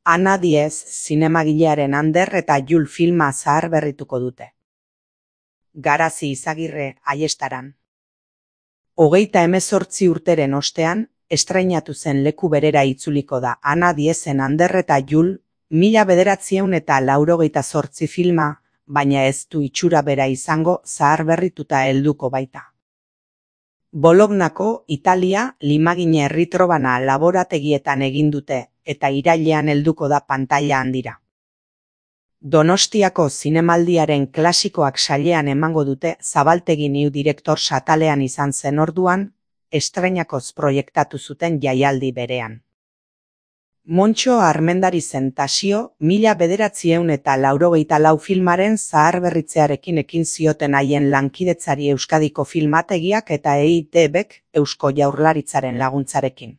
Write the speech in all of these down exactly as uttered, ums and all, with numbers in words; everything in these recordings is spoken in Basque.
Ana Diez zinemagilearen Ander eta Jul filma zaharberrituko dute. Garazi Izagirre Aiestaran. Hogeita hemezortzi urteren ostean, estreinatu zen leku berera itzuliko da Ana Diezen Ander eta Jul, mila bederatziehun eta laurogeita zortzi filma, baina ez du itxura bera izango zaharberrituta helduko baita. Bolognako, Italia, Limagine Erritrobana laborategietan egin dute, eta irailean helduko da pantaila handira. Donostiako zinemaldiaren klasikoak sailean emango dute Zabaltegi New Director satalean izan zen orduan, estreinakoz proiektatu zuten jaialdi berean. Montxo Armendarizen Tasio, mila bederatziehun eta laurogeita lau filmaren zaharberritzearekin ekin zioten haien lankidetzari Euskadiko Filmategiak eta E I T Bk Eusko Jaurlaritzaren laguntzarekin.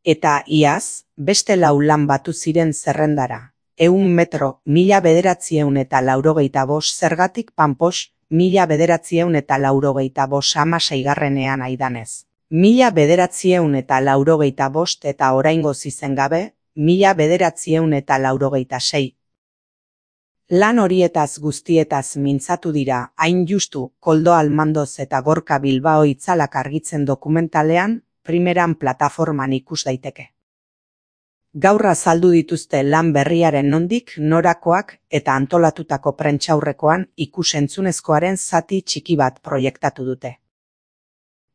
Eta iaz, beste lau lan batu ziren zerrendara. Ehun metro, mila bederatziehun eta laurogeita bost zergatik panpos, mila bederatziehun eta laurogeita bost hamaseigarrenean aidanez. Mila bederatziehun eta laurogeita bost eta oraingoz izen gabe, mila bederatziehun eta laurogeita sei. Lan horietaz guztietaz mintzatu dira, hain justu, Koldo Almandoz eta Gorka Bilbao itzalak argitzen dokumentalean, primeran plataforman ikus daiteke. Gaur azaldu dituzte lan berriaren nondik, norakoak eta antolatutako prentsaurrekoan ikus-entzunezkoaren zati txiki bat proiektatu dute.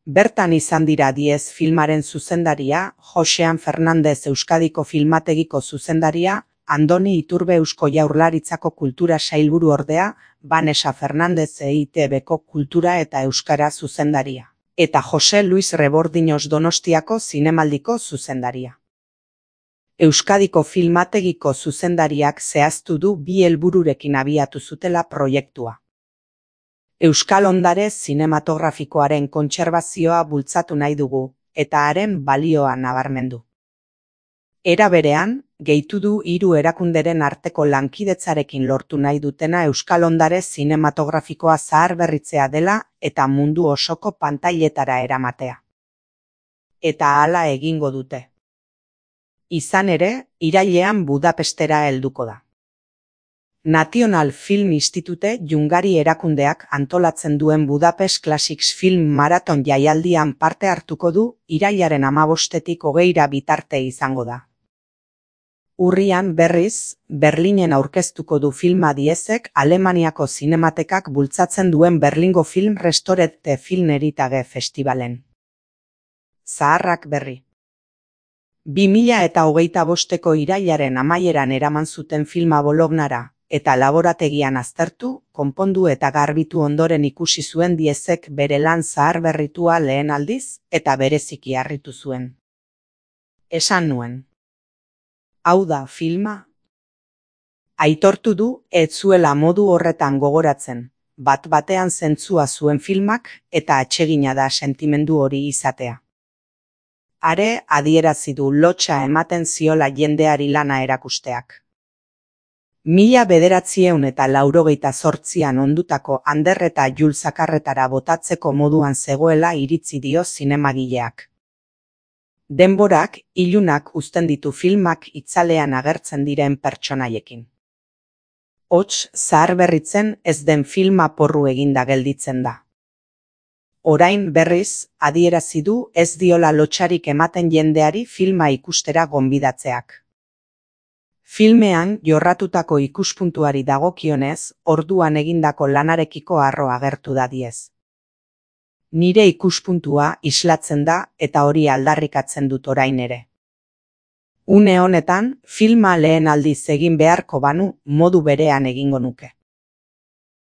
Bertan izan dira Diez filmaren zuzendaria, Josean Fernandez Euskadiko Filmategiko zuzendaria, Andoni Iturbe Eusko Jaurlaritzako Kultura Sailburu ordea, Vanessa Fernandez E I T Bko Kultura eta Euskara zuzendaria, eta Jose Luis Rebordiños Donostiako Zinemaldiko zuzendaria. Euskadiko Filmategiko zuzendariak zehaztu du bi helbururekin abiatu zutela proiektua. Euskal ondare zinematografikoaren kontserbazioa bultzatu nahi dugu, eta haren balioa nabarmendu. Era berean, gehitu du hiru erakunderen arteko lankidetzarekin lortu nahi dutena Euskal ondare zinematografikoa zaharberritzea dela eta mundu osoko pantailetara eramatea. Eta hala egingo dute. Izan ere, irailean Budapestera helduko da. National Film Institute Jungari erakundeak antolatzen duen Budapest Classics Film Marathon jaialdian parte hartuko du, irailaren hamabostetik hogeira bitarte izango da. Urrian berriz, Berlinen aurkeztuko du filma Diezek Alemaniako zinematekak bultzatzen duen Berlingo Film Restorete Filmeritage Festivalen. Zaharrak berri. Bi mila eta hogeita bosteko irailaren amaieran eraman zuten filma Bolognara, eta laborategian aztertu, konpondu eta garbitu ondoren ikusi zuen Diezek bere lan zaharberritua lehen aldiz, eta bereziki harritu zuen. Esan nuen. Hau da filma? Aitortu du, ez zuela modu horretan gogoratzen, bat batean zentzua zuen filmak, eta atsegina da sentimendu hori izatea. Are adierazi du lotsa ematen ziola jendeari lana erakusteak. Mila bederatziehun eta laurogeita zortzian ondutako Ander eta Jul zakarretara botatzeko moduan zegoela iritzi dio zinemagileak. Denborak, ilunak uzten ditu filmak itzalean agertzen diren pertsonaiekin. Hots zaharberritzen ez den filma porru eginda gelditzen da. Orain berriz, adierazi du ez diola lotsarik ematen jendeari filma ikustera gonbidatzeak. Filmean jorratutako ikuspuntuari dagokionez, orduan egindako lanarekiko harro agertu da Diez. Nire ikuspuntua islatzen da eta hori aldarrikatzen dut orain ere. Une honetan, filma lehen aldiz egin beharko banu modu berean egingo nuke.